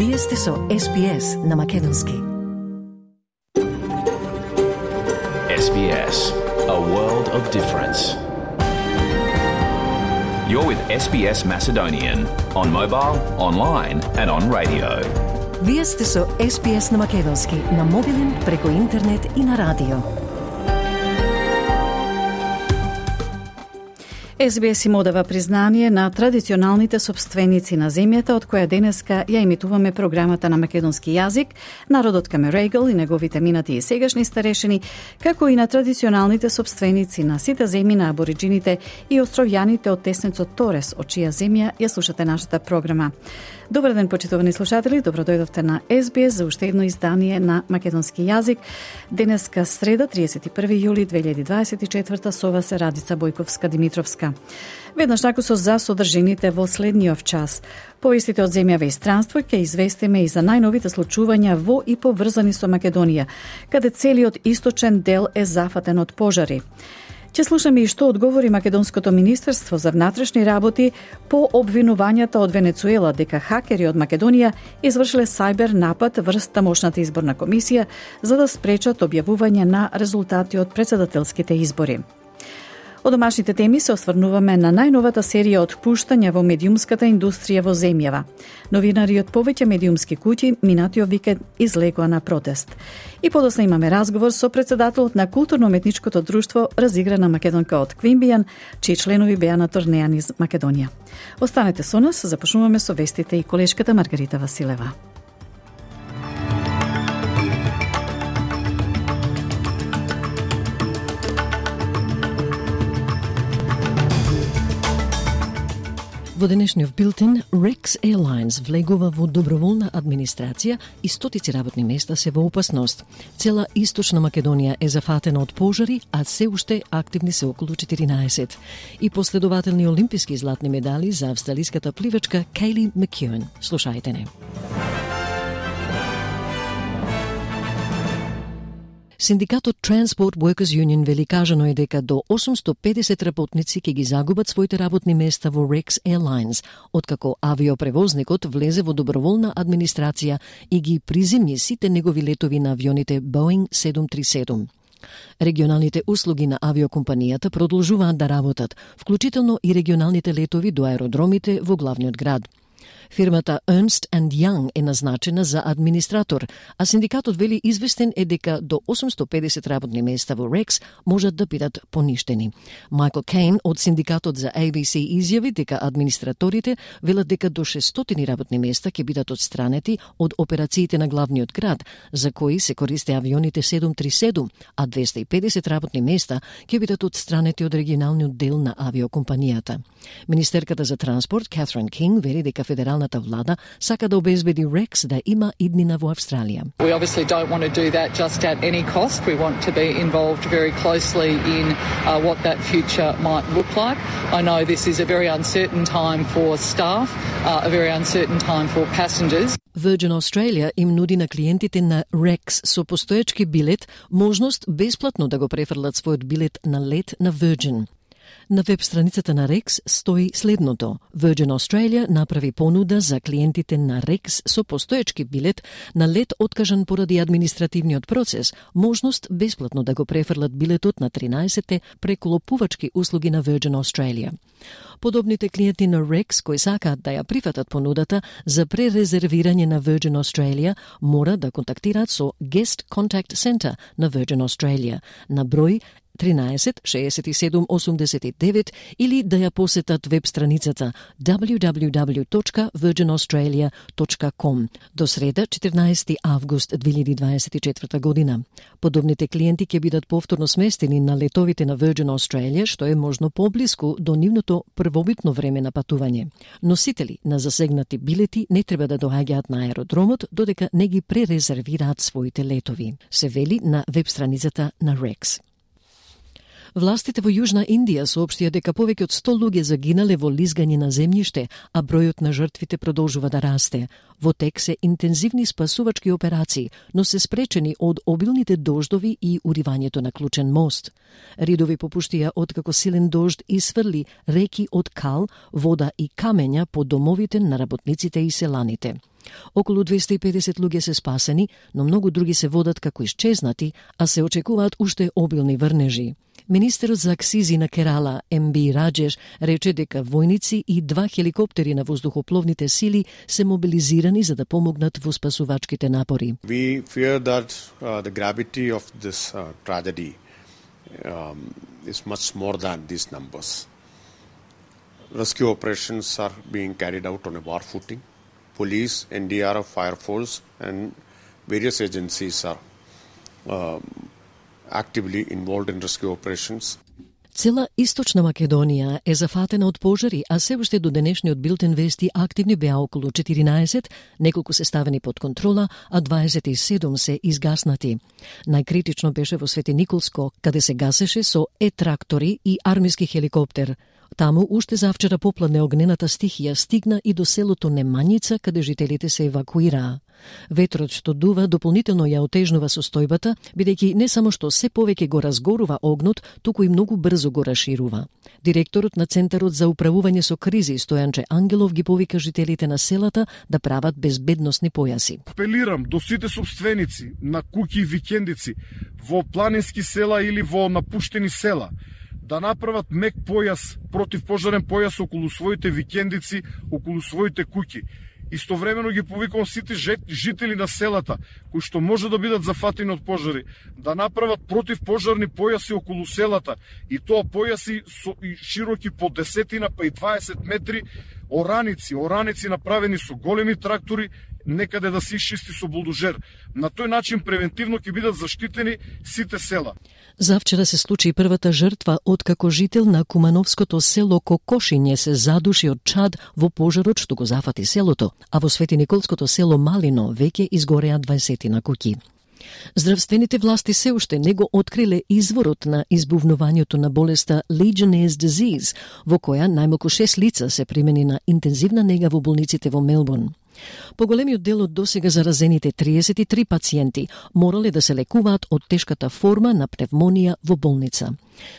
Вие сте со SBS на Македонски. SBS, a world of difference. You're with SBS Macedonian on mobile, online and on radio. Вие сте со SBS на Македонски на мобилен, преку интернет и на радио. SBS им одава признание на традиционалните собственици на земјата, од која денеска ја емитуваме програмата на македонски јазик, народот Камерегл и неговите минати и сегашни старешини, како и на традиционалните собственици на сите земји на абориджините и островјаните од теснецот Торес, од чија земја ја слушате нашата програма. Добар ден, почитувани слушатели, добродојдовте на SBS за уште едно издание на македонски јазик. Денеска среда, 31 јули 2024, со вас е Радица Бојковска-Димитровска. Веднаш таку за содржините во следниот час. Повестите од земјава и странство ќе известиме и за најновите случувања во и поврзани со Македонија, каде целиот источен дел е зафатен од пожари. Ќе слушаме и што одговори Македонското министерство за внатрешни работи по обвинувањата од Венецуела дека хакери од Македонија извршиле сајбер напад врз тамошната изборна комисија за да спречат објавување на резултати од претседателските избори. Од домашните теми се осврнуваме на најновата серија отпуштања во медиумската индустрија во земјава. Новинари од повеќе медиумски куќи минатиот викенд излегоа на протест. И подосна имаме разговор со претседателот на културно-уметничкото друштво Разиграна македонка од Квинбијан, чии членови беа на турнеја низ Македонија. Останете со нас, започнуваме со вестите и колешката Маргарита Василева. Во денешниот билтен, Rex Airlines влегува во доброволна администрација и стотици работни места се во опасност. Цела Источна Македонија е зафатена од пожари, а се уште активни се околу 14. И последователни олимписки златни медали за австралиската пливачка Кейли Макеуен. Слушајте не. Синдикатот Transport Workers Union вели кажано е дека до 850 работници ќе ги загубат своите работни места во Rex Airlines, откако авиопревозникот влезе во доброволна администрација и ги приземни сите негови летови на авионите Boeing 737. Регионалните услуги на авиокомпанијата продолжуваат да работат, вклучително и регионалните летови до аеродромите во главниот град. Фирмата Ernst & Young е назначена за администратор, а синдикатот вели известен е дека до 850 работни места во Rex можат да бидат поништени. Майкл Кейн од синдикатот за ABC изјави дека администраторите велат дека до 600 работни места ќе бидат отстранети од операциите на главниот град, за кои се користе авионите 737, а 250 работни места ќе бидат отстранети од регионалниот дел на авиокомпанијата. Министерката за транспорт Катрин Кинг вели дека федералната влада сака да обезбеди Rex да има иднина во Австралија. We obviously don't want to do that just at any cost. We want to be involved very closely in what that future might look like. I know this is a very uncertain time for staff, a very uncertain time for passengers. Virgin Australia им нуди на клиентите на Rex со постоечки билет можност бесплатно да го префрлат својот билет на лет на Virgin. На веб страницата на Rex стои следното. Virgin Australia направи понуда за клиентите на Rex со постоечки билет на лет откажан поради административниот процес, можност бесплатно да го префрлат билетот на 13-те преколопувачки услуги на Virgin Australia. Подобните клиенти на Rex кои сакаат да ја прифатат понудата за пререзервирање на Virgin Australia мора да контактираат со Guest Contact Center на Virgin Australia на број 13 67 89 или да ја посетат веб страницата www.virginaustralia.com до среда 14 август 2024 година. Подобните клиенти ќе бидат повторно сместени на летовите на Virgin Australia, што е можно поблиску до нивното првобитно време на патување. Носители на засегнати билети не треба да доаѓаат на аеродромот додека не ги пререзервираат своите летови, се вели на веб страницата на Rex. Властите во Јужна Индија соопштија дека повеќе од 100 луѓе загинале во лизгање на земјиште, а бројот на жртвите продолжува да расте. Во тек се интензивни спасувачки операции, но се спречени од обилните дождови и уривањето на клучен мост. Ридови попуштија откако силен дожд исфрли реки од кал, вода и камења по домовите на работниците и селаните. Околу 250 луѓе се спасени, но многу други се водат како исчезнати, а се очекуваат уште обилни врнежи. Министерот за акцизи на Керала, М.Б. Раджеш, рече дека војници и 2 хеликоптери на воздухопловните сили се мобилизирани за да помогнат во спасувачките напори. We fear that the gravity of this tragedy is much more than these numbers. Rescue operations are being carried out on a war footing. Police, NDRF, Fire Force and various agencies are actively involved in rescue operations. Цела Источна Македонија е зафатена од пожари, а се уште до денешниот билтен вести активни беа околу 14, неколку се ставени под контрола, а 27 се изгаснати. Најкритично беше во Свети Николско, каде се гасеше со трактори и армиски хеликоптер. Таму уште завчера попладне огнената стихија стигна и до селото Немањица, каде жителите се евакуираа. Ветрот што дува дополнително ја отежнува состојбата, бидејќи не само што се повеќе го разгорува огнот, туку и многу брзо го расширува. Директорот на Центарот за управување со кризи Стојанче Ангелов ги повика жителите на селата да прават безбедносни појаси. Апелирам до сите сопственици на куќи и викендици во планински села или во напуштени села да направат мек појас, противпожарен појас околу своите викендици, околу своите куќи. Истовремено ги повикувам сите жители на селата, кои што може да бидат зафатени од пожари, да направат противпожарни појаси околу селата, и тоа појаси широки по 10 па и 20 метри, ораници направени со големи трактори, некаде да се исчисти со булдожер. На тој начин превентивно ќе бидат заштитени сите села. Завчера се случи првата жртва откако жител на кумановското село Кокошиње се задуши од чад во пожарот што го зафати селото, а во Свети Николското село Малино веќе изгореа 20 на куќи. Здравствените власти се уште не го откриле изворот на избувнувањето на болеста Legionnaire's disease, во која најмалку 6 лица се примени на интензивна нега во болниците во Мелбурн. Поголемиот дел од досега заразените 33 пациенти морале да се лекуваат од тешката форма на пневмонија во болница.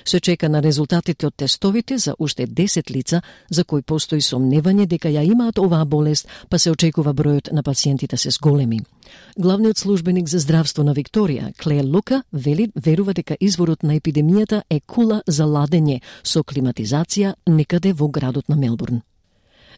Се чека на резултатите од тестовите за уште 10 лица за кои постои сомневање дека ја имаат оваа болест, па се очекува бројот на пациентите се зголеми. Главниот службеник за здравство на Викторија, Клеер Лука, верува дека изворот на епидемијата е кула за ладење со климатизација некаде во градот на Мелбурн.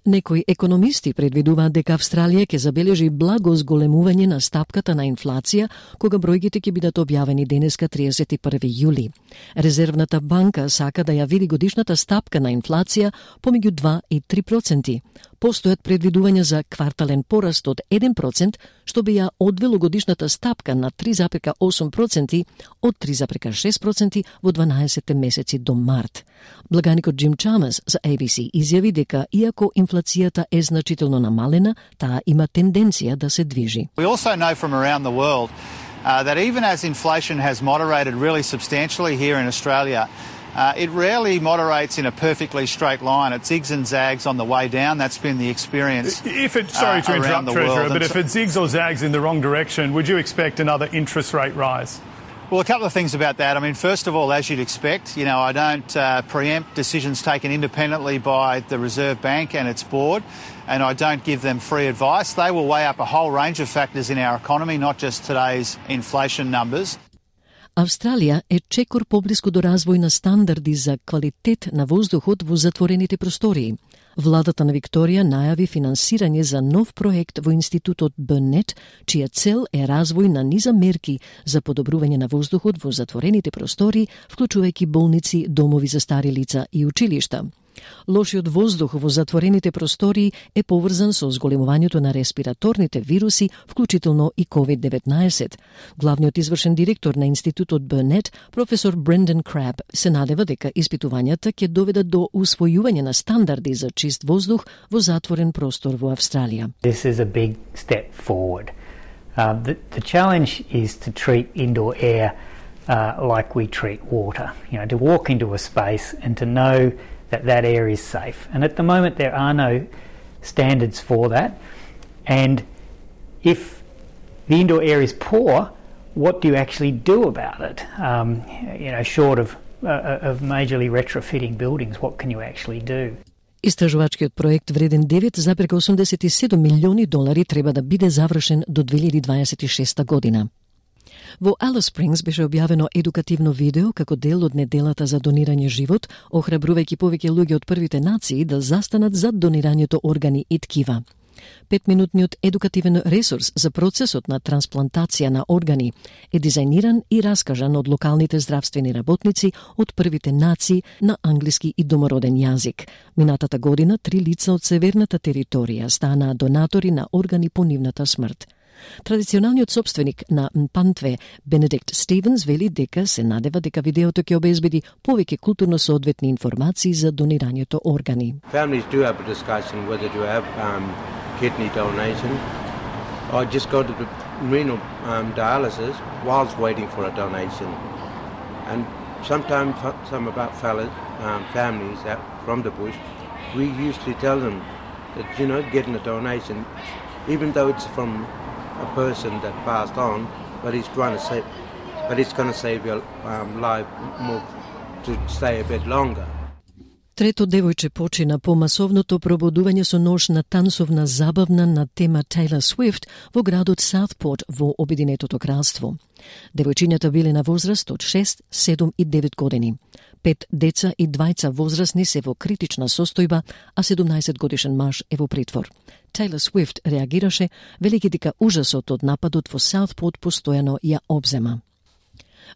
Некои економисти предвидуваат дека Австралија ќе забележи благо зголемување на стапката на инфлација, кога бројките ќе бидат објавени денеска 31 јули. Резервната банка сака да ја види годишната стапка на инфлација помеѓу 2 и 3%. Постојат предвидувања за квартален пораст од 1%, што би ја одвело годишната стапка на 3,8% од 3,6% во 12 месеци до март. Благаникот Джим Чамас за ABC изјави дека иако инфлацијата е значително намалена, таа има тенденција да се движи. We also know from around the world that even as inflation has moderated really substantially here in Australia, it rarely moderates in a perfectly straight line. It zigs and zags on the way down. That's been the experience. Sorry to interrupt, Treasurer, but if it zigs or zags in the wrong direction, would you expect another interest rate rise? Well, a couple of things about that. I mean, first of all, as you'd expect, I don't preempt decisions taken independently by the Reserve Bank and its board, and I don't give them free advice. They will weigh up a whole range of factors in our economy, not just today's inflation numbers. Австралија е чекор поблиску до развој на стандарди за квалитет на воздухот во затворените простории. Владата на Викторија најави финансирање за нов проект во Институтот Бърнет, чија цел е развој на низа мерки за подобрување на воздухот во затворените простории, вклучувајќи болници, домови за стари лица и училишта. Лошиот воздух во затворените простории е поврзан со зголемувањето на респираторните вируси, вклучително и COVID-19. Главниот извршен директор на Институтот Бърнет, професор Брендан Краб, се надева дека испитувањата ќе доведат до усвојување на стандарди за чист воздух во затворен простор во Австралија. This is a big step forward. The challenge is to treat indoor air like we treat water. To walk into a space and to know that air is safe. And at the moment there are no standards for that. And if the indoor air is poor, what do you actually do about it? Short of majorly retrofitting buildings, what can you actually do? Истражувачкиот проект вреден $9,87 милиони треба да биде завршен до 2026 година. Во Алис Спрингс беше објавено едукативно видео како дел од неделата за донирање живот, охрабрувајќи повеќе луѓе од првите нации да застанат зад донирањето органи и ткива. 5-минутниот едукативен ресурс за процесот на трансплантација на органи е дизајниран и раскажан од локалните здравствени работници од првите нации на англиски и домороден јазик. Минатата година 3 лица од северната територија станаа донатори на органи по нивната смрт. Традиционалниот собственик на Mpantwe, Benedict Stevens, вели дека се надева дека видеото ќе обезбеди повеќе културно соодветни информации за донирањето органи. Families do have a discussion whether to have kidney donation or just go to the renal dialysis whilst waiting for a donation. And sometimes some of our families from the bush, we usually tell them that, getting a donation, even though it's from a person that passed on, but it's going to save your life more to stay a bit longer. Трето девојче почина по масовното пробудување со нож на тансовна забавна на тема Taylor Swift во градот Саутпорт во Обединетото кралство. Девојчињата биле на возраст од 6, 7 и 9 години. 5 деца и 2 возрастни се во критична состојба, а 17 годишен маж е во притвор. Taylor Swift реагираше, велики дека ужасот од нападот во Саутпорт постојано ја обзема.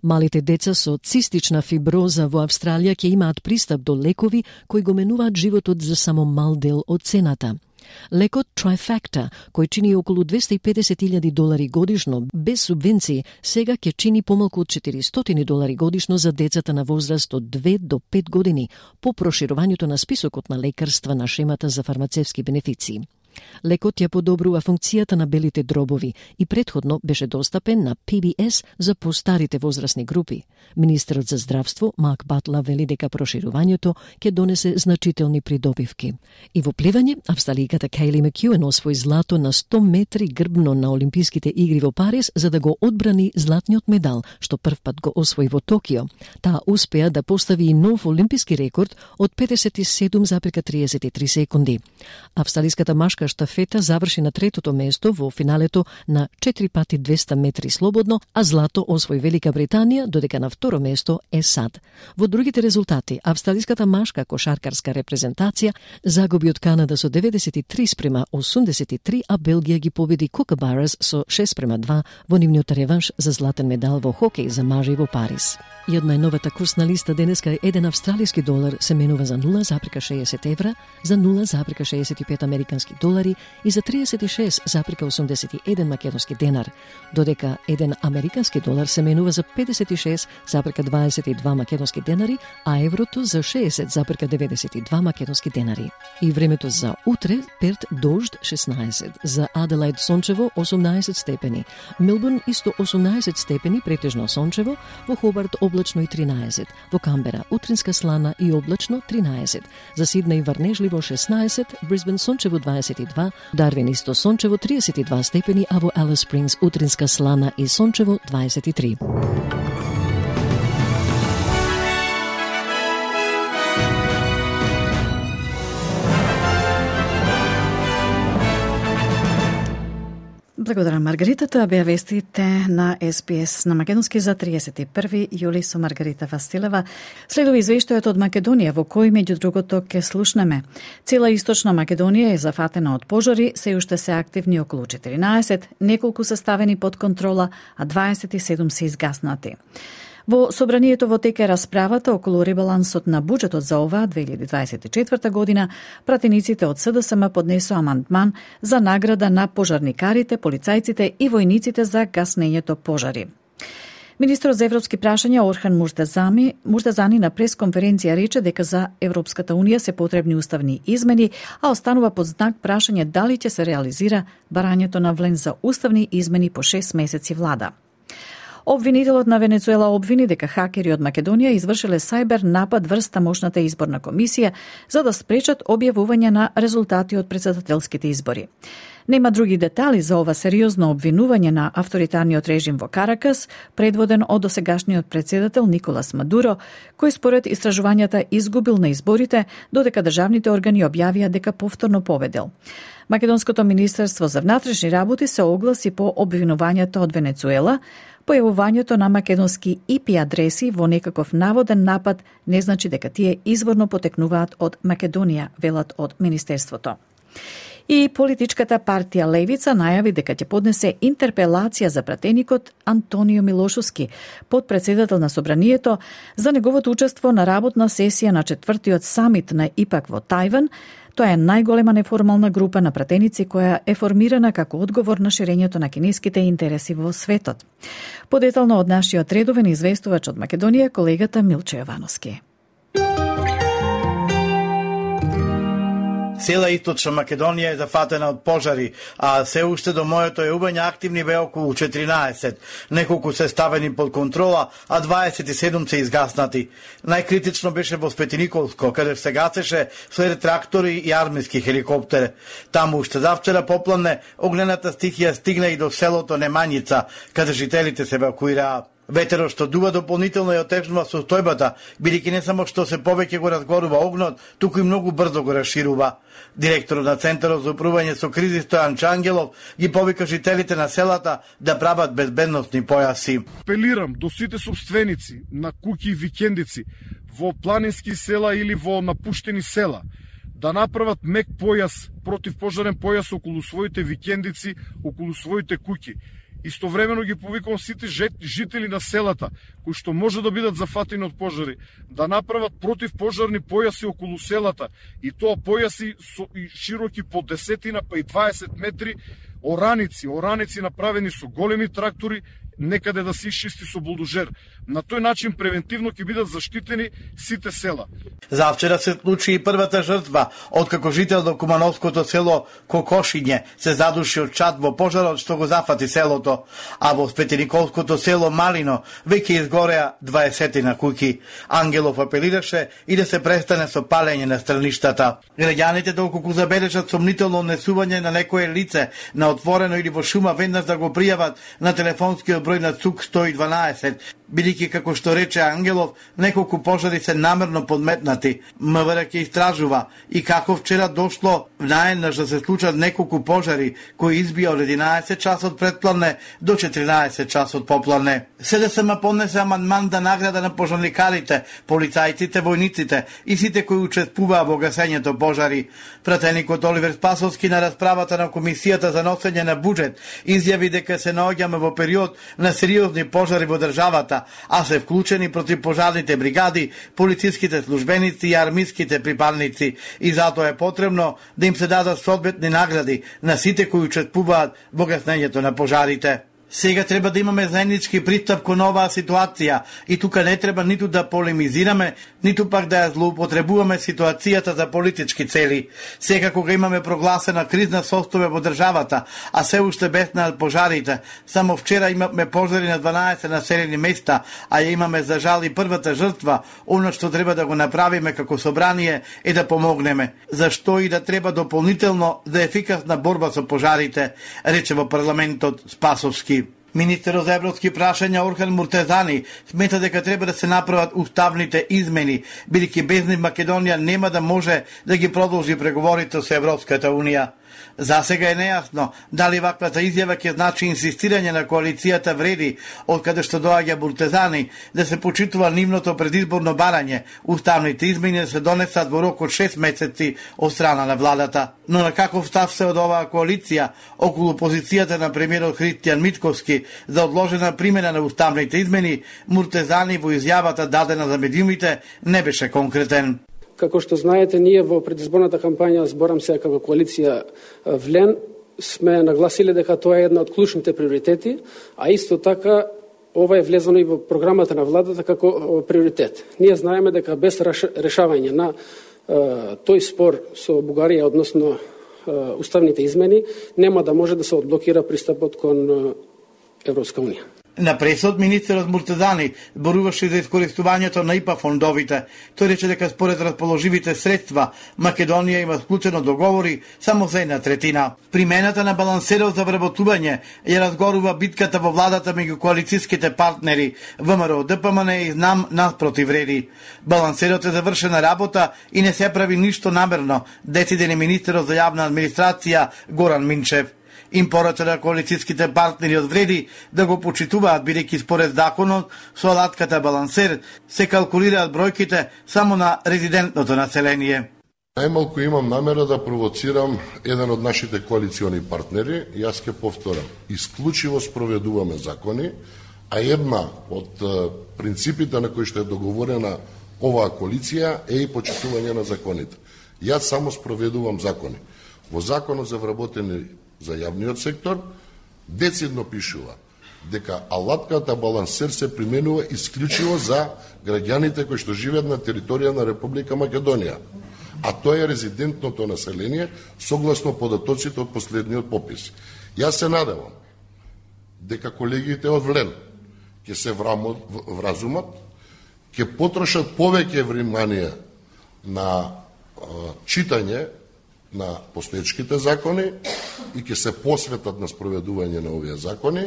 Малите деца со цистична фиброза во Австралија ќе имаат пристап до лекови кои го менуваат животот за само мал дел од цената. Лекот Trifacta, кој чини околу $250,000 годишно без субвенции, сега ќе чини помалку од $400 годишно за децата на возраст од 2 до 5 години по проширувањето на списокот на лекарства на шемата за фармацевски бенефиции. Лекот ја подобрува функцијата на белите дробови и претходно беше достапен на PBS за постарите возрастни групи. Министерот за здравство Марк Батла вели дека проширувањето ќе донесе значителни придобивки. И во плевање, австралијката Кейли Макјуен освои злато на 100 метри грбно на Олимписките игри во Париз за да го одбрани златниот медал, што првпат го освои во Токио. Таа успеа да постави и нов олимписки рекорд од 57,33 секунди. Австралиската машка штафета заврши на третото место во финалето на 4x200 метри слободно, а злато освои Велика Британија, додека на второ место е САД. Во другите резултати, австралиската машка кошаркарска репрезентација загуби од Канада со 93:83, а Белгија ги победи Кукабарас со 6:2 во нивниот реванш за златен медал во хокеј за мажи во Париз. И од најновата курсна листа денеска е $1 австралиски долар се менува за 0,60 евра, за 0,65 американски долари и за 36,81 македонски денар, додека 1 американски долар се менува за 56,22 македонски денари, а еврото за 60,92 македонски денари. И времето за утре: Перт дожд 16, за Аделаид сончево 18 степени, Мелбурн исто 18 степени претежно сончево, во Хобарт облачно и 13, во Камбера утринска слана и облачно 13, за Сиднеј врнежливо 16, Брисбен сончево 22, Дарвин исто сончево 32 степени, а во Алис Спрингс утринска слана и сончево 23. Благодарам, Маргарита. Тоа беа вестите на СПС на македонски за 31 јули со Маргарита Василева. Следува извештајот од Македонија, во кој меѓу другото ќе слушнеме. Цела источна Македонија е зафатена од пожари, се уште се активни околу 14, неколку се ставени под контрола, а 27 се изгаснати. Во собранието во тека расправата околу ребалансот на буџетот за оваа 2024 година, пратениците од СДСМ поднесоа амандман за награда на пожарникарите, полицајците и војниците за гаснењето пожари. Министрот за европски прашања Орхан Муртазани на пресконференција рече дека за Европската Унија се потребни уставни измени, а останува под знак прашање дали ќе се реализира барањето на влен за уставни измени по 6 месеци влада. Обвинителот на Венецуела обвини дека хакери од Македонија извршиле сајбер напад врз тамошната изборна комисија за да спречат објавување на резултати од претседателските избори. Нема други детали за ова сериозно обвинување на авторитарниот режим во Каракас, предводен од досегашниот председател Николас Мадуро, кој според истражувањата изгубил на изборите, додека државните органи објавија дека повторно победил. Македонското министерство за внатрешни работи се огласи по обвинувањето од Венецуела. Појавувањето на македонски IP адреси во некаков наводен напад не значи дека тие изворно потекнуваат од Македонија, велат од министерството. И политичката партија Левица најави дека ќе поднесе интерпелација за пратеникот Антонио Милошовски, подпредседател на Собранието, за неговото учество на работна сесија на 4-тиот самит на ИПАК во Тајван. Тоа е најголема неформална група на пратеници која е формирана како одговор на ширењето на кинеските интереси во светот. Подетално од нашиот редовен известувач од Македонија, колегата Милче Јовановски. Цела Источна Македонија е зафатена од пожари, а се уште до моето јубање активни бе околу 14. Неколку се ставени под контрола, а 27 се изгаснати. Најкритично беше во Спетиниковско, каде се гасеше след трактори и армиски хеликоптер. Таму уште завчера попладне огнената стихија стигна и до селото Немањица, каде жителите се евакуираа. Ветерот што дува дополнително ја отежнува состојбата, бидејќи не само што се повеќе го разгорува огнот, туку и многу брзо го расширува. Директорот на Центарот за управување со кризи Стојан Чангелов ги повика жителите на селата да прават безбедносни појаси. Апелирам до сите собственици на куќи и викендици во планински села или во напуштени села да направат мек појас, противпожарен појас околу своите викендици, околу своите куќи. Истовремено ги повикувам сите жители на селата, кои што може да бидат зафатени од пожари, да направат противпожарни појаси околу селата, и тоа појаси широки по 10 па и 20 метри, ораници направени со големи трактори, некаде да се исчисти со булдожер. На тој начин превентивно ќе бидат заштитени сите села. Завчера се случи и првата жртва, откако жител до Кумановското село Кокошиње се задуши од чад во пожарот што го зафати селото, а во Спетиниковското село Малино веќе изгореа 20 на куќи. Ангелов апелираше и да се престане со палење на страништата. Граѓаните доколку забележат сомнително однесување на некое лице на отворено или во шума, веднаш да го пријават на телефонскиот број на ЦУК 112, бидејќи како што рече Ангелов, неколку пожари се намерно подметнати. МВР ќе истражува и како вчера дошло наеднаш да се случат неколку пожари кои избија од 11 часот предпладне до 14 часот попладне. СДСМ поднесе амандман да награда на пожарникарите, полицајците, војниците и сите кои учествуваа во гасењето пожари. Пратеникот Оливер Спасовски на расправата на Комисијата за носење на буџет изјави дека се наоѓаме во период на сериозни пожари во државата, а се вклучени противпожарните бригади, полициските службеници и армиските припадници, и затоа е потребно да им се дадат соодветни награди на сите кои учествуваат во гаснењето на пожарите. Сега треба да имаме заеднички пристап кон оваа ситуација и тука не треба ниту да полемизираме, ниту пак да ја злоупотребуваме ситуацијата за политички цели. Сега кога имаме прогласена кризна состојба во државата, а се уште беснаат пожарите, само вчера имаме пожари на 12 населени места, а ја имаме за жал и првата жртва, она што треба да го направиме како собрание е да помогнеме. Зашто и да треба дополнително за ефикасна борба со пожарите, рече во парламентот Спасовски. Министерот за европски прашања Орхан Муртезани смета дека треба да се направат уставните измени, бидејќи без нив Македонија нема да може да ги продолжи преговорите со Европската Унија. За сега е нејасно дали ваквата изјава ќе значи инсистирање на коалицијата вреди, од каде што доаѓа Муртезани, да се почитува нивното предизборно барање, уставните измени да се донесат во рок од 6 месеци од страна на владата. Но на каков став се од оваа коалиција околу позицијата на премиерот Христијан Мицковски за одложена примена на уставните измени, Муртезани во изјавата дадена за медиумите не беше конкретен. Како што знаете, ние во предизборната кампања, зборам се како коалиција Влен, сме нагласиле дека тоа е една од клучните приоритети, а исто така ова е влезено и во програмата на владата како приоритет. Ние знаеме дека без решавање на тој спор со Бугарија односно уставните измени нема да може да се одблокира пристапот кон Европска Унија. На пресод, министерот Муртазани зборуваше за искористувањето на ИПА фондовите. Тој рече дека според расположивите средства, Македонија има склучено договори само за 1/3. Примената на балансерот за вработување ја разгорува битката во владата меѓу коалицијските партнери ВМРО, ДПМН и ЗНАМ наспротив реди. Балансерот е завршена работа и не се прави ништо намерно, дециде министерот за јавна администрација Горан Минчев. Им порача на коалицијските партнери од вреди да го почитуваат, бидејќи според законот со алатката балансер се калкулираат бројките само на резидентното население. Најмалку имам намера да провоцирам еден од нашите коалициони партнери, јас ќе повторам, исклучиво спроведуваме закони, а една од принципите на кои што е договорена оваа коалиција е и почитување на законите. Јас само спроведувам закони. Во законот за вработени за јавниот сектор децидно пишува дека алатката балансер се применува исклучиво за граѓаните кои што живеат на територија на Република Македонија, а тоа е резидентното население согласно податоците од последниот попис. Јас се надевам дека колегите од ВЛЕН ќе се вразумат, ќе потрошат повеќе внимание на читање на постоечките закони и ќе се посветат на спроведување на овие закони,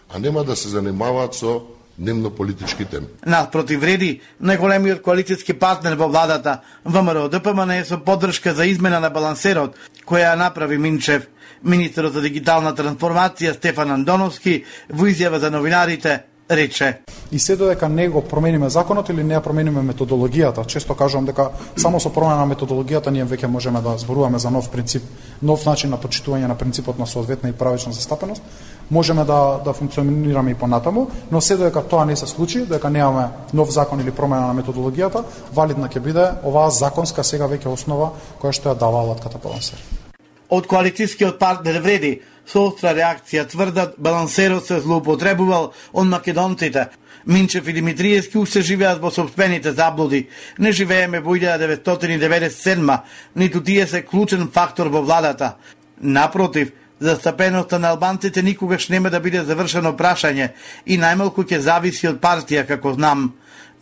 а нема да се занимаваат со дневно-политички теми. Наспротив вреди, најголемиот коалицијски партнер во владата, ВМРО ДПМН е со поддршка за измена на балансерот, која ја направи Минчев. Министерот за дигитална трансформација Стефан Андоновски во изјава за новинарите рече: и се додека не го промениме законот или не ја промениме методологијата, често кажувам дека само со промена на методологијата ние веќе можеме да зборуваме за нов принцип, нов начин на почитување на принципот на соодветна и правична застапеност, можеме да функционираме и понатаму, но се додека тоа не се случи, додека немаме нов закон или промена на методологијата, валидна ќе биде оваа законска сега веќе основа која што ја дава алатката балансер. Од коалицијскиот партнер вреди со остра реакција тврдат балансерот се злоупотребувал од македонците. Минчев и Димитриевски уште живеат во сопствените заблуди. Не живееме во 1997, ниту тие се клучен фактор во владата. Напротив, застапеноста на албанците никогаш нема да биде завршено прашање и најмалку ќе зависи од партија, како знам.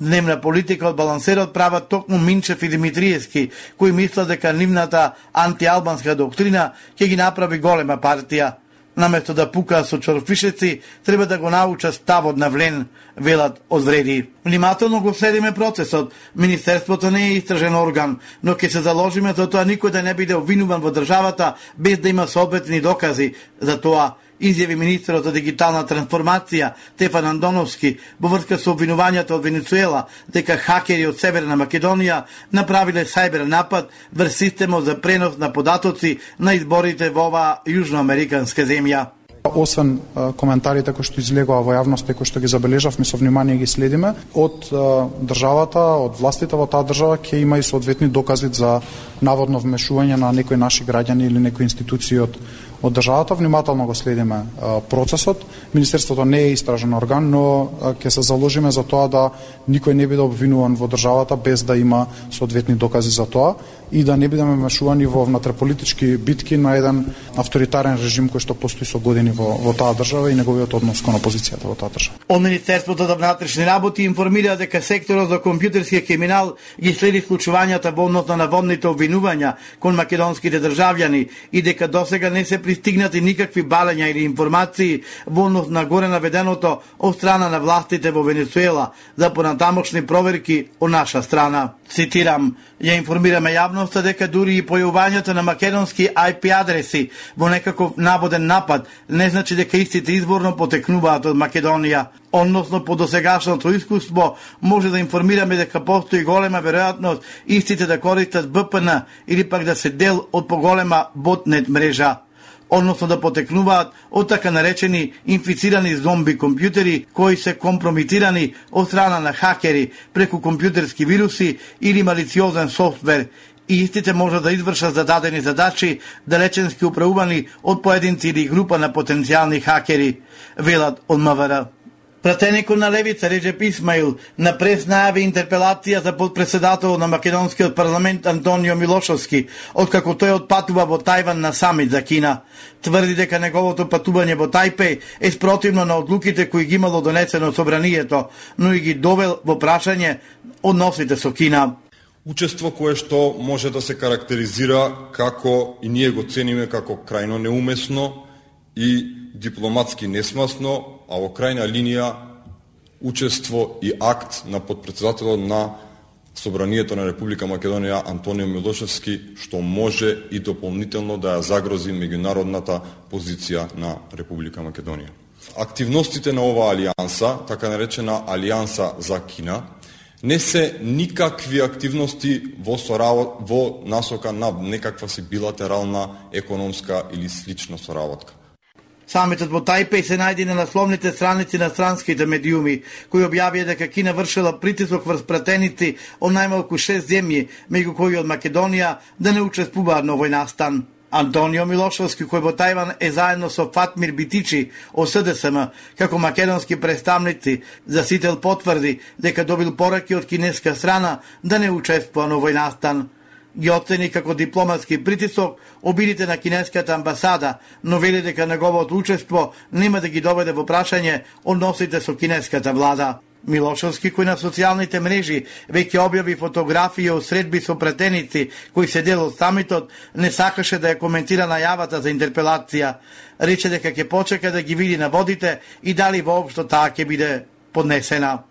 Дневна политика од балансерот прават токму Минчев и Димитриевски, кои мислат дека нивната антиалбанска доктрина ќе ги направи голема партија. Наместо да пукаат со чорфишеци, треба да го научат ставот на ВЛЕН, велат од вреди. Внимателно го следиме процесот. Министерството не е истражен орган, но ќе се заложиме за тоа никој да не биде обвинуван во државата без да има соодветни докази за тоа, изјави министерот за дигитална трансформација Стефан Андоновски во врска со обвинувањата од Венецуела дека хакери од Северна Македонија направиле сајбер напад врз системот за пренос на податоци на изборите во оваа јужноамериканска земја. Освен коментарите кои што излегоа во јавноста и кои што ги забележавме со внимание ги следиме, од државата, од властите во таа држава ќе има и соодветни докази за наводно вмешување на некои наши граѓани или некои институции од државата. Внимателно го следиме процесот. Министерството не е истражен орган, но ќе се заложиме за тоа да никој не биде обвинуван во државата без да има соодветни докази за тоа и да не бидеме вмешувани во внатреполитички битки на еден авторитарен режим кој што постои со години во таа држава и неговиот однос кон опозицијата во таа држава. Од Министерството за внатрешни работи информира дека секторот за компјутерски криминал ги следи случувањата во однос на наводните обвинувања кон македонските државјани и дека досега не се пристигнати никакви балења или информации во однос на горе наведеното од страна на властите во Венецуела за понатамошни проверки од наша страна. Цитирам: ја информираме јавноста дека дури и појавувањето на македонски IP адреси во некаков наводен напад не значи дека истите изворно потекнуваат од Македонија. Односно по досегашното искуство може да информираме дека постои голема веројатност истите да користат VPN или пак да се дел од поголема ботнет мрежа, односно да потекнуваат од така наречени инфицирани зомби компјутери кои се компромитирани од страна на хакери преку компјутерски вируси или малициозен софтвер и истите може да извршат зададени задачи далеченски управувани од поединци или група на потенцијални хакери, велат од МВР. Пратеникот на Левица Реджеп Исмаил на прес најави интерпелација за подпредседател на македонскиот парламент Антонио Милошовски, откако тој отпатува во Тајван на самит за Кина. Тврди дека неговото патување во Тајпеј е спротивно на одлуките кои ги имало донесено собранието, но и ги довел во прашање односите со Кина. Учество кое што може да се карактеризира како, и ние го цениме како крајно неумесно и дипломатски несмасно, а во крајна линија учество и акт на подпредседателот на Собранието на Република Македонија Антонио Милошевски, што може и дополнително да ја загрози меѓународната позиција на Република Македонија. Активностите на оваа алијанса, така наречена Алијанса за Кина, не се никакви активности во насока на некаква си билатерална економска или слична соработка. Самитот во Тајпеј се најде на насловните страници на странските медиуми, кои објавија дека Кина вршила притисок врз пратеници од најмалку 6 земји, меѓу кои од Македонија, да не учествуваат на овој настан. Антонио Милошовски, кој во Тајван е заедно со Фатмир Битичи од СДСМ, како македонски представници, за Сител потврди дека добил пораки од кинеска страна да не учествува на овој настан. Ги оцени како дипломатски притисок обидите на кинеската амбасада, но вели дека неговото учество нема да ги доведе во прашање односите со кинеската влада. Милошовски, кој на социјалните мрежи веќе објави фотографии од средби со пратеници кои се дел од самитот, не сакаше да ја коментира најавата за интерпелација. Рече дека ќе почека да ги види наводите и дали воопшто таа ќе биде поднесена.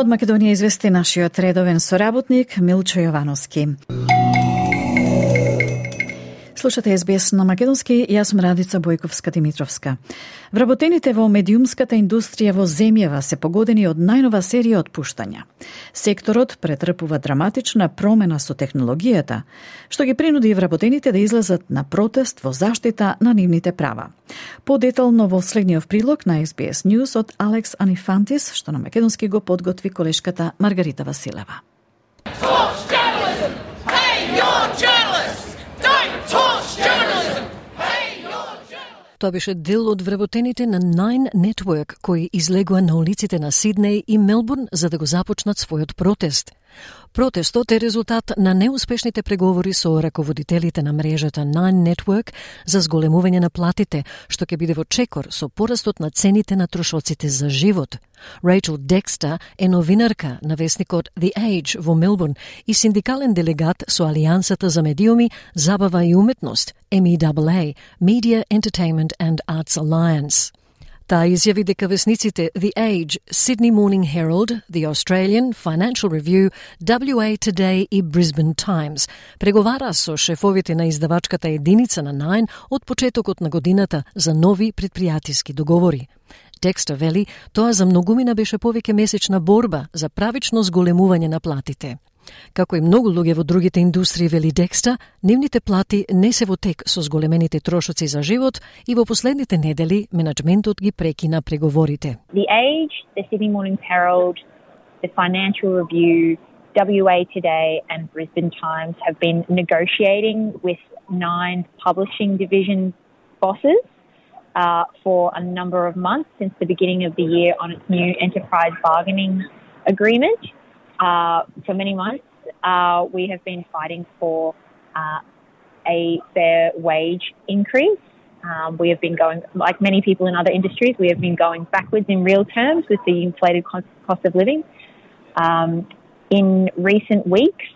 Од Македонија извести нашиот редовен соработник Милчо Јовановски. Слушате СБС на македонски, јас сум Радица Бојковска-Димитровска. Вработените во медиумската индустрија во земјава се погодени од најнова серија отпуштања. Секторот претрпува драматична промена со технологијата, што ги принуди вработените да излезат на протест во заштита на нивните права. Подетално во следниот прилог на SBS News од Алекс Анифантис, што на македонски го подготви колешката Маргарита Василева. Тоа беше дел од вработените на Nine Network, кои излегува на улиците на Сиднеј и Мелбурн за да го започнат својот протест. Протестот е резултат на неуспешните преговори со раководителите на мрежата Nine Network за зголемување на платите, што ќе биде во чекор со порастот на цените на трошоците за живот. Рейчел Декстер е новинарка на весникот The Age во Мелбурн и синдикален делегат со Алијансата за медиуми, забава и уметност, MEAA, Media, Entertainment and Arts Alliance. Таа изјави дека весниците The Age, Sydney Morning Herald, The Australian, Financial Review, WA Today и Brisbane Times преговара со шефовите на издавачката единица на Nine од почетокот на годината за нови предпријатиски договори. Декстер вели, тоа за многумина беше повеќе месечна борба за правично зголемување на платите. Како и многу луѓе во другите индустрии, вели Декстер, нивните плати не се во тек со зголемените трошоци за живот и во последните недели менаџментот ги прекина преговорите. The Age, the Sydney Morning Herald, the Financial Review, WA Today and Brisbane Times have been negotiating with Nine publishing division bosses for a number of months since the beginning of the year on its new enterprise bargaining agreement. For many months, we have been fighting for a fair wage increase. We have been going, like many people in other industries, we have been going backwards in real terms with the inflated cost of living. In recent weeks,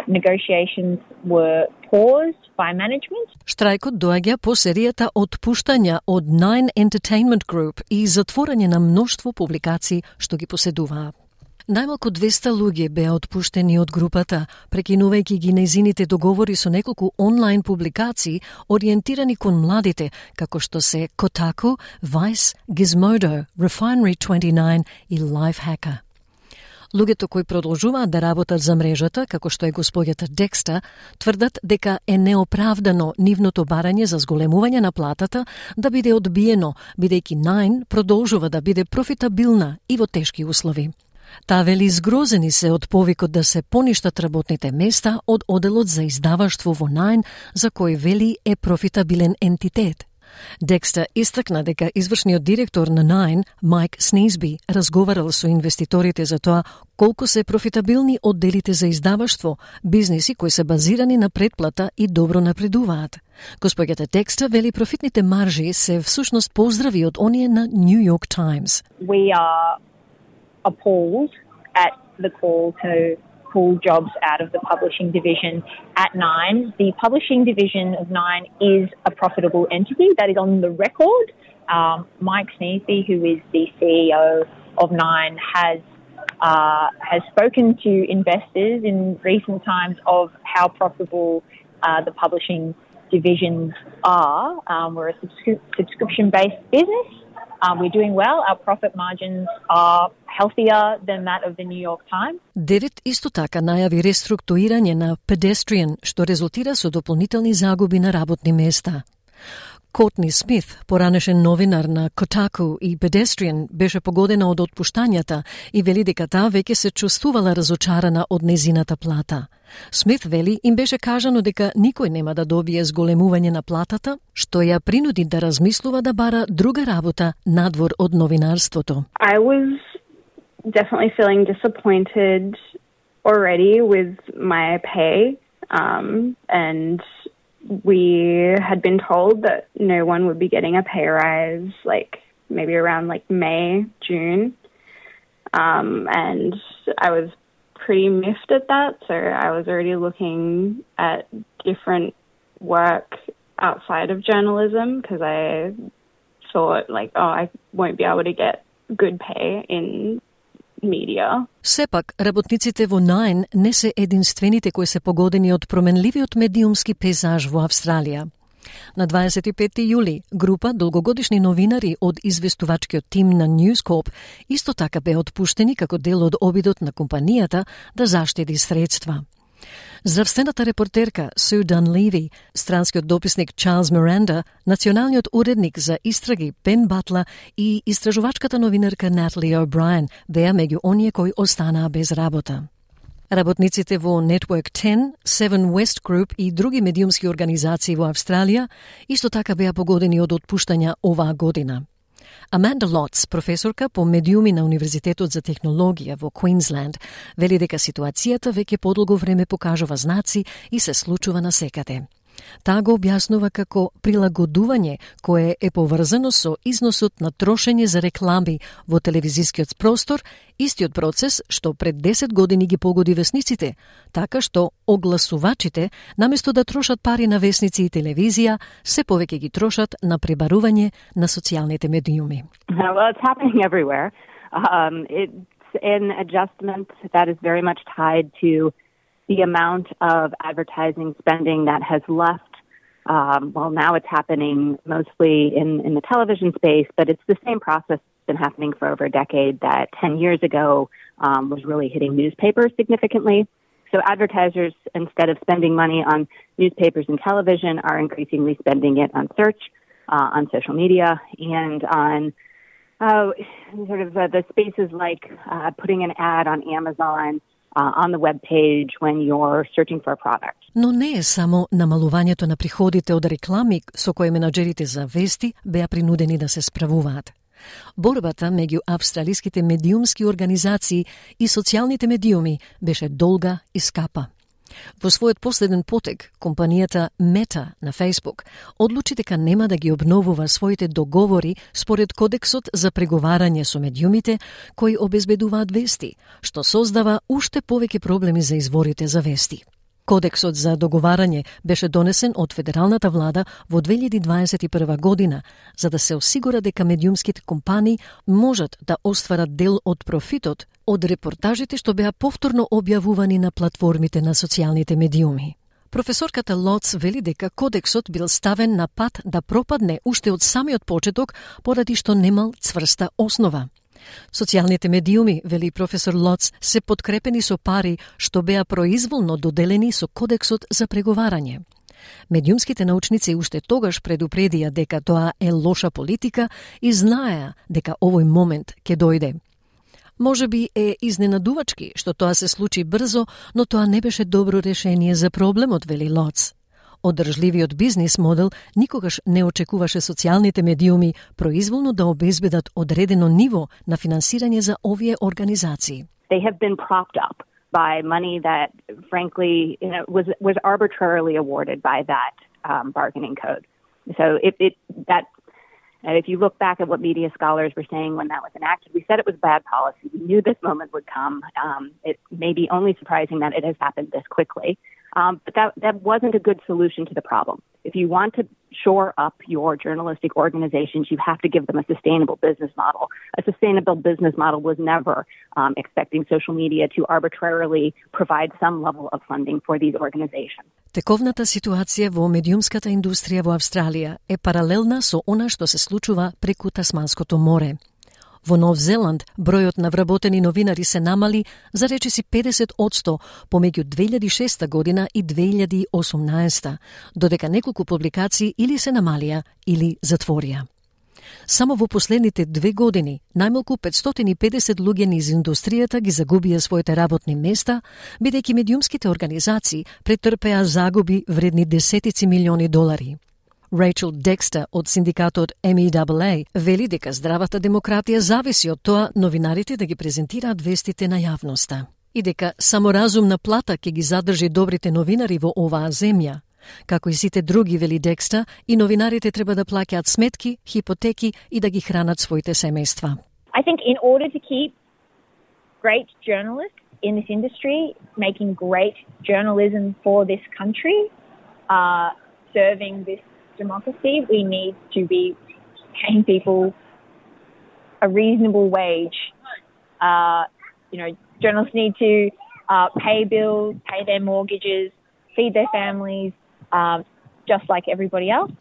negotiations were paused by management. Штрајкот доаѓа по серијата отпуштања од Nine Entertainment Group и затворање на мноштво публикации што ги поседуваа. Најмалку 200 луѓе беа отпуштени од групата, прекинувајќи ги нејзините договори со неколку онлайн публикации ориентирани кон младите, како што се Kotaku, Vice, Gizmodo, Refinery29 и Lifehacker. Луѓето кои продолжуваат да работат за мрежата, како што е господјата Декстер, тврдат дека е неоправдано нивното барање за зголемување на платата да биде одбиено, бидејќи Nine продолжува да биде профитабилна и во тешки услови. Таа вели згрозени се од повикот да се поништат работните места од оделот за издаваштво во Nine, за кој вели е профитабилен ентитет. Декстер истакна дека извршниот директор на Nine, Майк Снизби, разговарал со инвеститорите за тоа колку се профитабилни одделите за издаваштво, бизниси кои се базирани на предплата и добро напредуваат. Госпоѓата Декстер вели профитните маржи се всушност поздрави од оние на New York Times. We are appalled at the call to pull jobs out of the publishing division at Nine. The publishing division of Nine is a profitable entity. That is on the record. Mike Sneesby, who is the CEO of Nine, has spoken to investors in recent times of how profitable the publishing divisions are. We're a subscription-based business. We're doing well. Our profit margins are healthier than that of the New York Times. Девит исто така најави реструктурирање на Pedestrian, што резултира со дополнителни загуби на работни места. Котни Смит, поранешен новинар на Kotaku и Pedestrian, беше погодена од отпуштањата и вели дека таа веќе се чувствувала разочарана од незината плата. Смит вели им беше кажано дека никој нема да добие зголемување на платата, што ја принуди да размислува да бара друга работа надвор од новинарството. I was definitely feeling disappointed already with my pay, and we had been told that no one would be getting a pay rise maybe around May, June. And I was pretty miffed at that, so I was already looking at different work outside of journalism because I thought I won't be able to get good pay in media. Сепак, работниците во Nine не се единствените кои се погодени од променливиот медиумски пейзаж во Австралија. На 25 јули, група долгогодишни новинари од известувачкиот тим на News Corp исто така беа отпуштени како дел од обидот на компанијата да заштеди средства. Здравствената репортерка Су Данлеви, странскиот дописник Чарлз Миранда, националниот уредник за истраги Бен Батла и истражувачката новинарка Натали О'Брајен беа меѓу оние кои останаа без работа. Работниците во Network 10, Seven West Group и други медиумски организации во Австралија исто така беа погодени од отпуштања оваа година. Аманда Лотс, професорка по медиуми на Универзитетот за технологија во Квинсленд, вели дека ситуацијата веќе подолго време покажува знаци и се случува насекаде. Таа го објаснува како прилагодување кое е поврзано со износот на трошење за реклами во телевизискиот простор, истиот процес што пред 10 години ги погоди весниците, така што огласувачите, наместо да трошат пари на весници и телевизија, се повеќе ги трошат на пребарување на социјалните медиуми. Well, it's happening everywhere. It's an adjustment that is very much tied to the amount of advertising spending that has left. Now it's happening mostly in the television space, but it's the same process that's been happening for over a decade that 10 years ago was really hitting newspapers significantly. So advertisers, instead of spending money on newspapers and television, are increasingly spending it on search, on social media, and on the spaces like putting an ad on Amazon, on the web page when you're searching for a product. Но не е само намалувањето на приходите од реклами со кои менаџерите за вести беа принудени да се справуваат. Борбата меѓу австралиските медиумски организации и социјалните медиуми беше долга и скапа. Во својот последен потек, компанијата Meta на Facebook одлучи дека нема да ги обновува своите договори според кодексот за преговарање со медиумите кои обезбедуваат вести, што создава уште повеќе проблеми за изворите за вести. Кодексот за договарање беше донесен од федералната влада во 2021 година, за да се осигура дека медиумските компании можат да остварат дел од профитот од репортажите што беа повторно објавувани на платформите на социјалните медиуми. Професорката Лотс вели дека кодексот бил ставен на пат да пропадне уште од самиот почеток поради што немал цврста основа. Социјалните медиуми, вели професор Лотс, се подкрепени со пари што беа произволно доделени со кодексот за преговарање. Медиумските научници уште тогаш предупредија дека тоа е лоша политика и знаеа дека овој момент ќе дојде. Може би е изненадувачки што тоа се случи брзо, но тоа не беше добро решение за проблемот, вели Лотс. Одржливиот бизнис модел никогаш не очекуваше социјалните медиуми произволно да обезбедат одредено ниво на финансирање за овие организации. They have been propped up by money that, frankly, was arbitrarily awarded by that bargaining code. So if you look back at what media scholars were saying when that was enacted, we said it was bad policy. We knew this moment would come. It may be only surprising that it has happened this quickly. But that wasn't a good solution to the problem. If you want to shore up your journalistic organizations, you have to give them a sustainable business model. A sustainable business model was never expecting social media to arbitrarily provide some level of funding for these organizations. Тековната ситуација во медиумската индустрија во Австралија е паралелна со она што се случува преку Тасманското море. Во Нов Зеланд, бројот на вработени новинари се намали за речиси 50% помеѓу 2006 година и 2018, додека неколку публикации или се намалија или затворија. Само во последните 2 години, најмалку 550 луѓе низ индустријата ги загубија своите работни места, бидејќи медиумските организации претрпеа загуби вредни десетици милиони долари. Рейчел Декстер од синдикатот MEAA вели дека здравата демократија зависи од тоа новинарите да ги презентираат вестите на јавноста и дека само разумна плата ќе ги задржи добрите новинари во оваа земја. Како и сите други, вели Декстер, и новинарите треба да плаќаат сметки, хипотеки и да ги хранат своите семејства. I think in order to keep great journalists in this industry, making great journalism for this country, serving this democracy, we need to be paying people a reasonable wage. Journalists need to pay bills, pay their mortgages, feed their families, just like everybody else.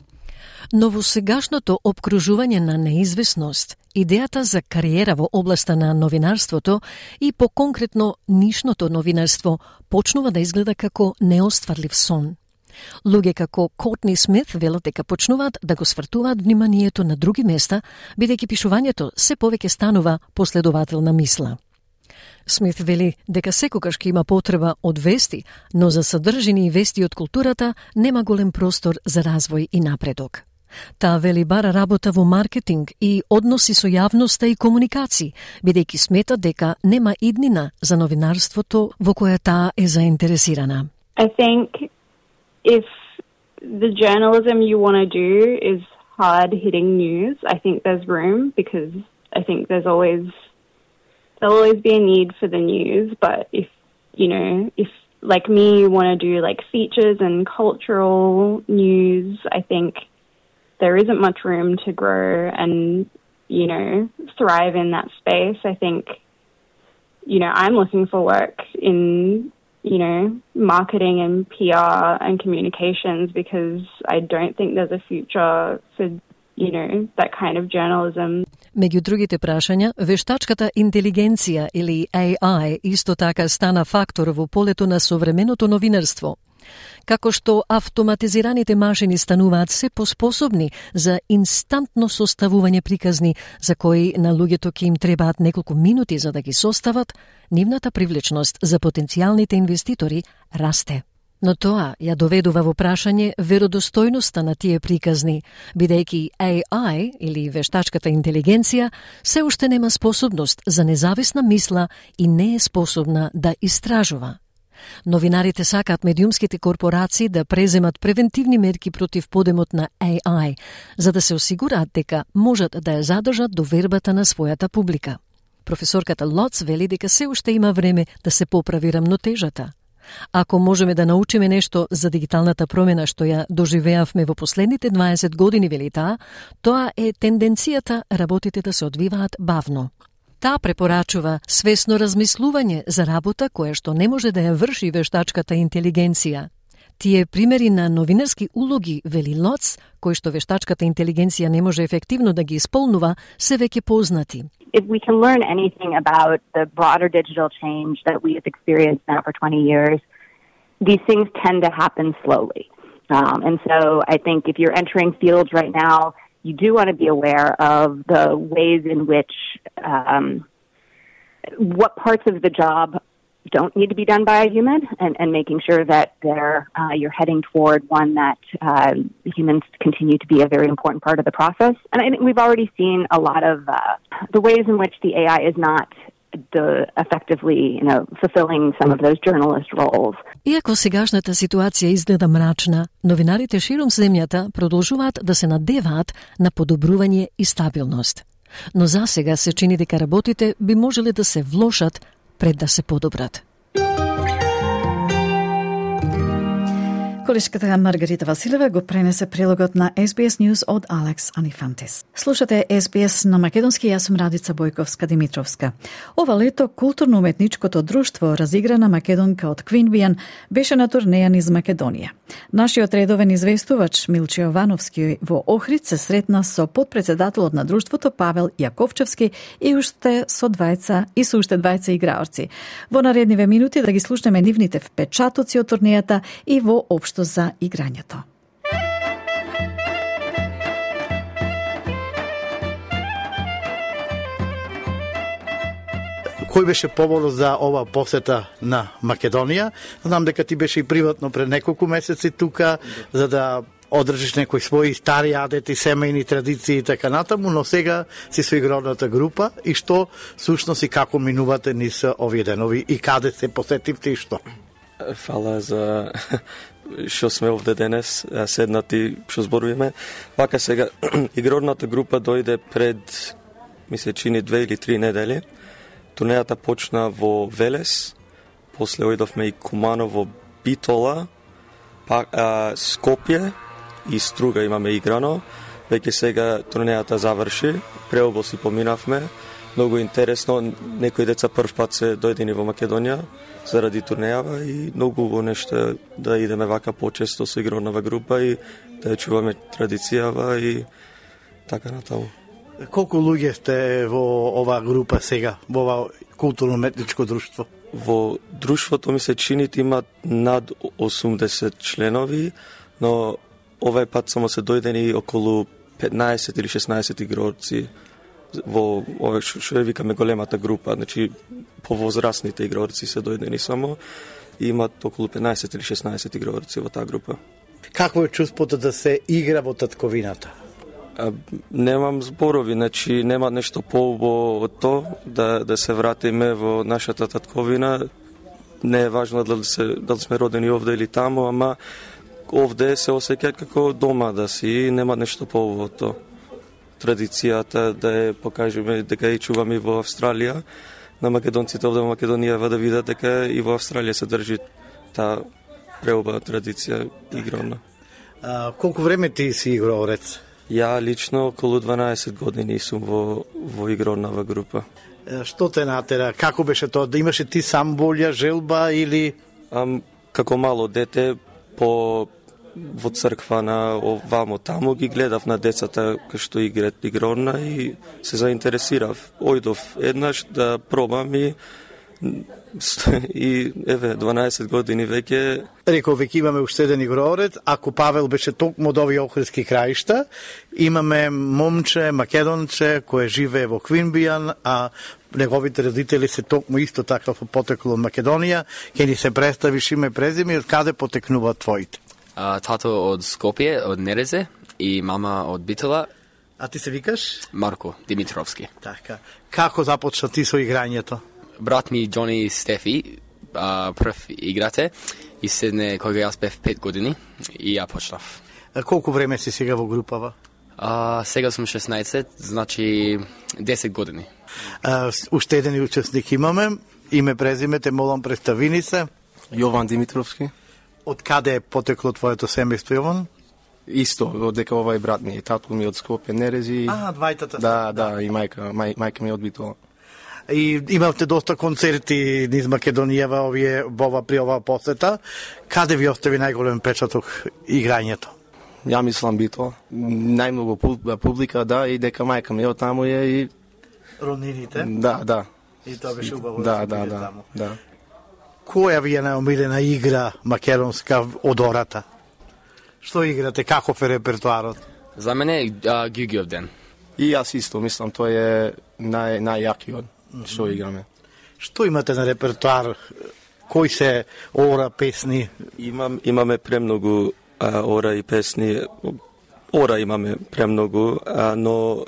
Но во сегашното обкружување на неизвестност, идејата за кариера во областа на новинарството и по-конкретно нишното новинарство почнува да изгледа како неостварлив сон. Луѓе како Кортни Смит велат дека почнуваат да го свртуваат вниманието на други места, бидејќи пишувањето се повеќе станува последователна мисла. Смит вели дека секогаш ќе има потреба од вести, но за содржини и вести од културата нема голем простор за развој и напредок. Таа вели бара работа во маркетинг и односи со јавноста и комуникации, бидејќи смета дека нема иднина за новинарството во која таа е заинтересирана. I think if the journalism you want to do is hard-hitting news, I think there's room, because I think there'll always be a need for the news. But if like me, you want to do like features and cultural news, I think there isn't much room to grow and, thrive in that space. I think, I'm looking for work in marketing and PR and communications, because I don't think there's a future for, that kind of journalism. Меѓу другите прашања, вештачката интелигенција или AI исто така стана фактор во полето на современото новинарство. Како што автоматизираните машини стануваат се поспособни за инстантно составување приказни за кои на луѓето ќе им требаат неколку минути за да ги состават, нивната привлечност за потенцијалните инвеститори расте. Но тоа ја доведува во прашање веродостојноста на тие приказни, бидејќи AI или вештачката интелигенција се уште нема способност за независна мисла и не е способна да истражува. Новинарите сакаат медиумските корпорации да преземат превентивни мерки против подемот на AI, за да се осигураат дека можат да ја задржат довербата на својата публика. Професорката Лоц вели дека се уште има време да се поправи рамнотежата. Ако можеме да научиме нешто за дигиталната промена што ја доживеавме во последните 20 години, вели таа, тоа е тенденцијата работите да се одвиваат бавно. Таа препорачува свесно размислување за работа која што не може да ја врши вештачката интелигенција. Тие примери на новинарски улоги, вели Лоц, кои што вештачката интелигенција не може ефективно да ги исполнува, се веќе познати. If we can learn anything about the broader digital change that we have experienced now for 20 years, these things tend to happen slowly. And so I think if you're entering fields right now, you do want to be aware of the ways in which what parts of the job don't need to be done by a human, and making sure that you're heading toward one that humans continue to be a very important part of the process. And I think we've already seen a lot of the ways in which the AI is not effectively, fulfilling some of those journalist roles. Иако сегашната ситуација изгледа мрачна, новинарите широм земјата продолжуваат да се надеваат на подобрување и стабилност. Но засега се чини дека работите би можеле да се влошат пред да се подобрат. Колешката Маргарита Василева го пренесе прилогот на SBS News од Алекс Анифантис. Слушате SBS на македонски, јас сум Радица Бојковска-Димитровска. Ова лето културно-уметничкото друштво Разиграна македонка од Квинбијан беше на турнеја низ Македонија. Нашиот редовен известувач Милче Јовановски во Охрид се сретна со подпредседателот на друштвото Павел Јаковчевски и уште со уште двајца играорци. Во наредниве минути да ги слушнеме нивните впечатоци од турнејата и во општо за играњето. Кој беше поводот за ова посета на Македонија? Знам дека ти беше и приватно пред неколку месеци тука, за да одржиш некои своји стари адети, семејни традиции и така натаму, но сега си со игровната група и што сушност и како минувате низ овие денови и каде се посетивте и што? Фала за што сме овде денес, седнати, што зборуваме. Вака сега, игрорната група дојде пред, ми се чини 2 или 3 недели. Турнејата почна во Велес, после ојдовме и Кумано во Битола, Скопје и Струга имаме играно. Веќе сега турнејата заврши, преобо си поминавме. Многу интересно, некои деца прв пат се дојдени во Македонија заради турнејава и многу убаво нешто да идеме вака почесто со игровна група и да ја чуваме традицијава и така натаму. Колку луѓе сте во оваа група сега, во ова културно-уметничко друштво? Во друштвото ми се чини има над 80 членови, но овај пат само се дојдени околу 15 или 16 игрорци во ова што ја викаме големата група, значи повозрастните игрорци се дојдени само и имат околу 15 или 16 игрорци во таа група. Какво е чувството да се игра во татковината? Немам зборови, значи нема нешто поубаво од тоа да се вратиме во нашата татковина. Не е важно дали сме родени овде или таму, ама овде се осеќа како дома да си, нема нешто поубаво од тоа. Традицијата да ја покажеме дека ја чуваме во Австралија, на македонците овде во Македонија да видат дека и во Австралија се држи таа преубава традиција игровна. Колку време ти си играорец? Ја лично околу 12 години сум во игровна група. Што те натера? Како беше тоа? Да имаше ти сам волја, желба или... Како мало дете во црква на овамо таму ги гледав на децата кои што играат игровна и се заинтересирав. Ојдов еднаш да пробам и еве 12 години веќе. Реков веќе имаме уште еден играорец, ако Павел беше токму од овие охридски краишта, имаме момче, македонче кој живее во Квинбијан, а неговите родители се токму исто така во потекло од Македонија. Ке ни се представиш име, презиме и од каде потекнуваат твоите? Тато од Скопје, од Нерезе и мама од Битола. А ти се викаш? Марко Димитровски. Така. Како започна ти со играњето? Брат ми Џони Стефи прв играте и седне кога јас бев 5 години и ја почнав. Колку време си сега во групава? Сега сум 16, значи 10 години. Уште еден учесник имаме. Име, презиме, те молам, представини се. Јован Димитровски. Од каде е потекло твоето семејство, Јован? Исто, од дека овај брат ми, татко ми од Скопје, Нерези. Двајтата. Да, и мајка ми од Битола. И имавте доста концерти низ Македонија при оваа посета. Каде ви остави најголем печаток играњето? Ја мислам Битола. Најмногу публика, да, и дека мајка ми од таму е и... Роднините? Да. И тоа беше убаво да. Која ви е најомилена игра македонска од ората? Што играте? Каков е репертуарот? За мене Ги-Ги-Ов ден. И јас исто мислам, тој е најјакиот што играме. Што имате на репертуар? Кои се ора песни? Имаме премногу ора и песни. Ора имаме премногу, но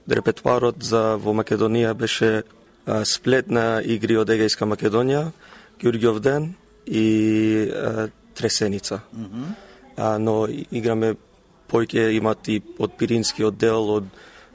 репертуарот за во Македонија беше сплет на игри од Егејска Македонија, Ѓурѓов ден и Тресеница. Но играме поќе имат и од Пиринскиот дел,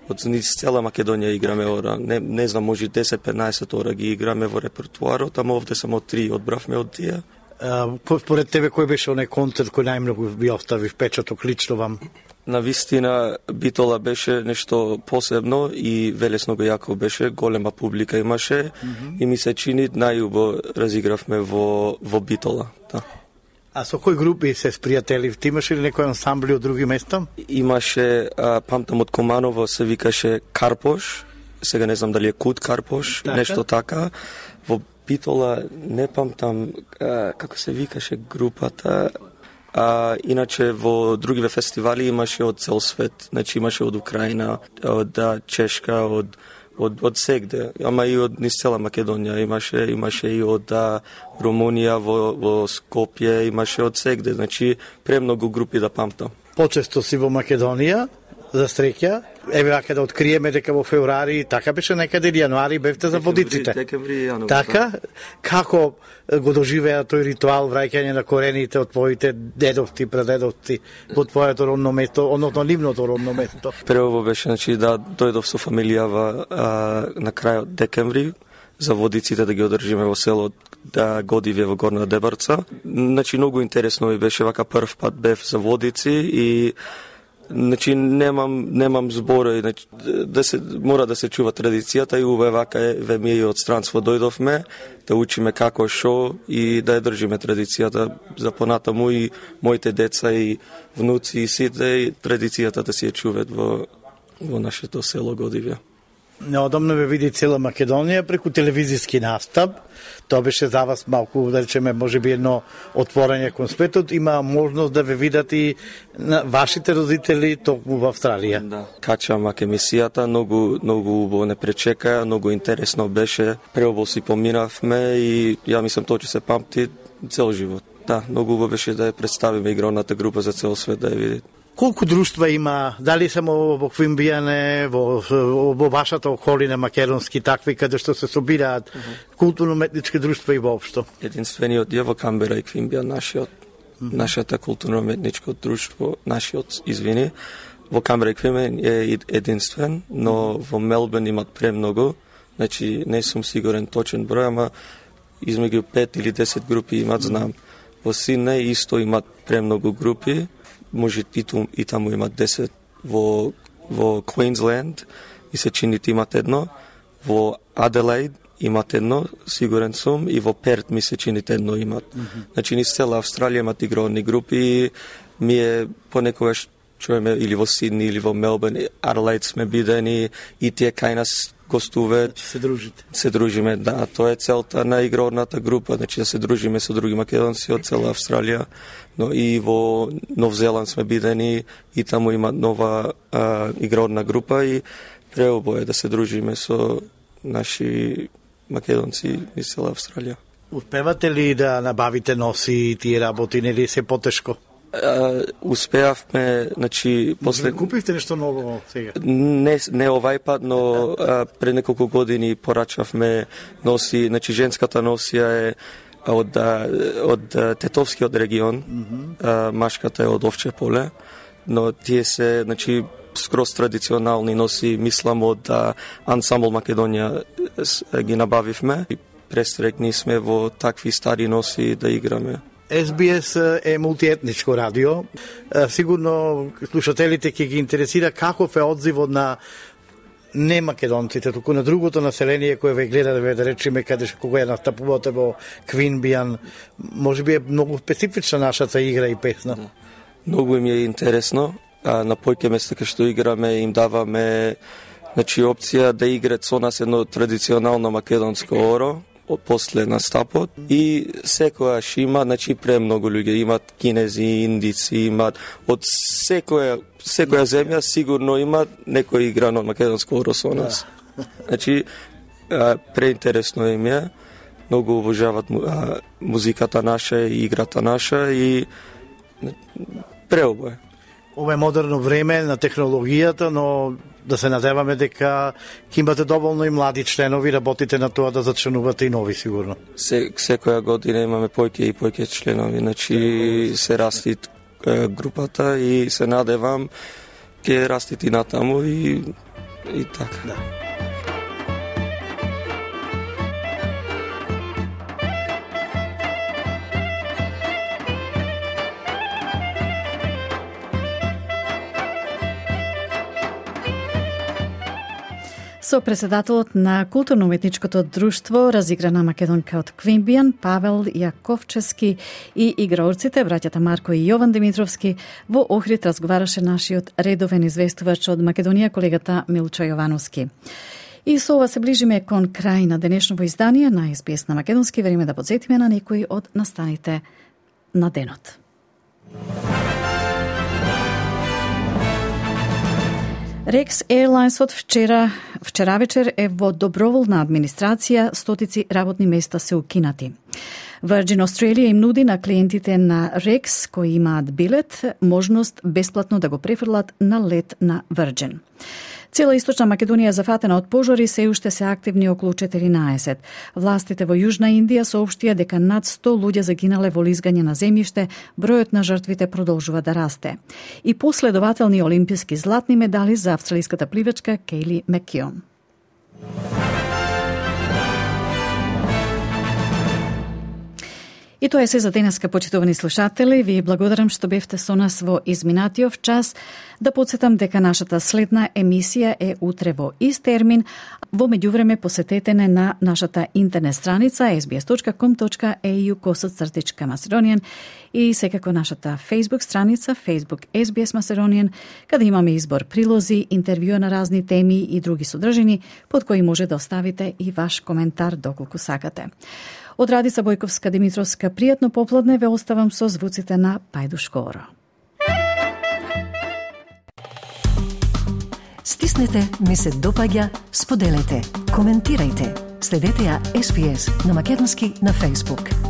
од низ цела Македонија играме ора. Не знам, може 10-15 ора ги играме во репертуарот, ама овде само 3 одбравме од тие. Според тебе кој беше оној концерт кој најмногу ви остави впечаток лично вам? На вистина Битола беше нешто посебно и велесно го јако беше, голема публика имаше и ми се чини најубаво разигравме во Битола. Да. А со кои групи се спријатели? Ти имаш ли некој ансамбли од други места? Имаше, памтам од Команово се викаше Карпош, сега не знам дали е Кут Карпош, нешто така. Во Битола не памтам како се викаше групата. Иначе во другиве фестивали имаше од цел свет, значи имаше од Украина, од Чешка, од сегде, ама и од низ цела Македонија, имаше и од Румунија, во Скопје, имаше од сегде, значи премногу групи да памтам. Почесто си во Македонија, за среќа, еве вака да откриеме дека во февруари, така беше некаде јануари бевте за водиците. Декември, јануари. Така, како го доживеа тој ритуал враќање на корените од твоите дедовци, прадедовци во твоето родно место, односно нивното родно место? Прво беше, значи, да дојдов со фамилијава на крајот декември, за водиците да ги одржиме во село Годивје во Горна Дебарца. Значи, многу интересно ми беше, вака прв пат бев за водици и значи немам збора, значи, мора да се чува традицијата и убаво вака еве ми и од странство дојдовме да учиме како шо и да ја држиме традицијата за понатаму и моите деца и внуци и сите и традицијата да си ја чуваат во нашето село Годивје. Неодамно ве види цела Македонија преку телевизиски настап. Тоа беше за вас малку, да речеме, можеби едно отворање кон светот. Има можност да ве видат и на вашите родители токму во Австралија. Да. Качам маке емисијата, многу убаво не пречека, многу интересно беше. Преубаво си поминавме и ја мислам тоа ќе се памти цел живот. Да, многу убаво беше да ја представиме игровната група за цел свет да ја види. Колку друштва има, дали само во Квинбијане, во вашата околина македонски такви, каде што се собираат културно-уметнички друштва и воопшто? Единствениот е во Камбера и Квинбијан, нашата културно-уметничко друштво, во Камбера и Квинбијан е единствен, но во Мелбурн имат премногу, значи не сум сигурен точен број, ама измеѓу 5 или 10 групи имат, знам. Во Сиднеј исто имат премногу групи, може и таму имат 10, во Квинсленд и се чини имат едно, во Аделаид имат едно, сигурен сум, и во Перт ми се чини едно имат. Значи низ цела Австралија имат игровни групи, ми понекогаш чуеме или во Сидни или во Мелбурн, Аделаид сме бидени и тие кај нас гостуваат. Се дружите. Се дружиме, да, тоа е целта на игровната група, значи да се дружиме со други македонци од цела Австралија, но и во Нов Зеланд сме бидени и таму има нова игровна група и преубаво е да се дружиме со наши македонци из цела Австралија. Успевате ли да набавите носи и тие работи, или се потешко? Успеавме, значи, после... Купивте нешто ново сега? Не овај пат, но пред неколку години порачавме носи, значи женската носија е од Тетовскиот регион, машката е од Овче поле, но тие се, значи, скроз традиционални носи, мислам од ансамбл Македонија ги набавивме и престрекни сме во такви стари носи да играме. SBS е мултиетничко радио. Сигурно слушателите ќе ги интересира каков е одзивот на не македонците, туку на другото население кое ве гледа, да речеме, каде кога ја настапувате во Квинбијан. Може би е многу специфична нашата игра и песна. Многу им е интересно. На појке места кај што играме им даваме, значи, опција да играат со нас едно традиционално македонско оро после настапот и секојаш има, значи, премногу луѓе, имат кинези, индици, имат од секоја земја сигурно има некој игран од македонско оро со нас. Значи, преинтересно им е. многу обожаваат музиката наша и играта наша и преобој. Ова е модерно време на технологијата, но да се надеваме дека ќе имате доволно и млади членови, работите на тоа да зачленувате и нови сигурно. Секоја година имаме поќе и поќе членови, значи се расти групата и се надевам ќе растити натаму и така. Да. Со председателот на културно-уметничкото друштво разиграна македонка од Квимбијан, Павел Јаковчевски и играорците, браќата Марко и Јован Димитровски, во Охрид разговараше нашиот редовен известувач од Македонија, колегата Милчо Јовановски. И со ова се ближиме кон крај на денешното издание на СБС на македонски. Време да подсетиме на некои од настаните на денот. Rex Airlines од вчера вечер е во доброволна администрација, стотици работни места се укинати. Virgin Australia им нуди на клиентите на Rex кои имаат билет можност бесплатно да го префрлат на лет на Virgin. Цела Источна Македонија зафатена од пожари, се уште се активни околу 14. Властите во Јужна Индија соопштија дека над 100 луѓе загинале во лизгање на земјиште, бројот на жртвите продолжува да расте. И последователни олимписки златни медали за австралиската пливачка Кейли Маккеон. И тоа е се за денеска, почитувани слушатели. Ви благодарам што бевте со нас во изминатиот час. Да подсетам дека нашата следна емисија е утре во ист термин. Во меѓувреме посетете не на нашата интернет страница sbs.com.au/Macedonian и секако нашата Facebook страница Facebook SBS Macedonian, каде имаме избор прилози, интервјуа на разни теми и други содржини, под кои може да оставите и ваш коментар доколку сакате. Од Радица Бојковска Димитровска, пријатно попладне, ве оставам со звуците на Пајдушкоро. Стиснете, ми се допаѓа, споделете, коментирајте. Следете ја SBS на македонски на Facebook.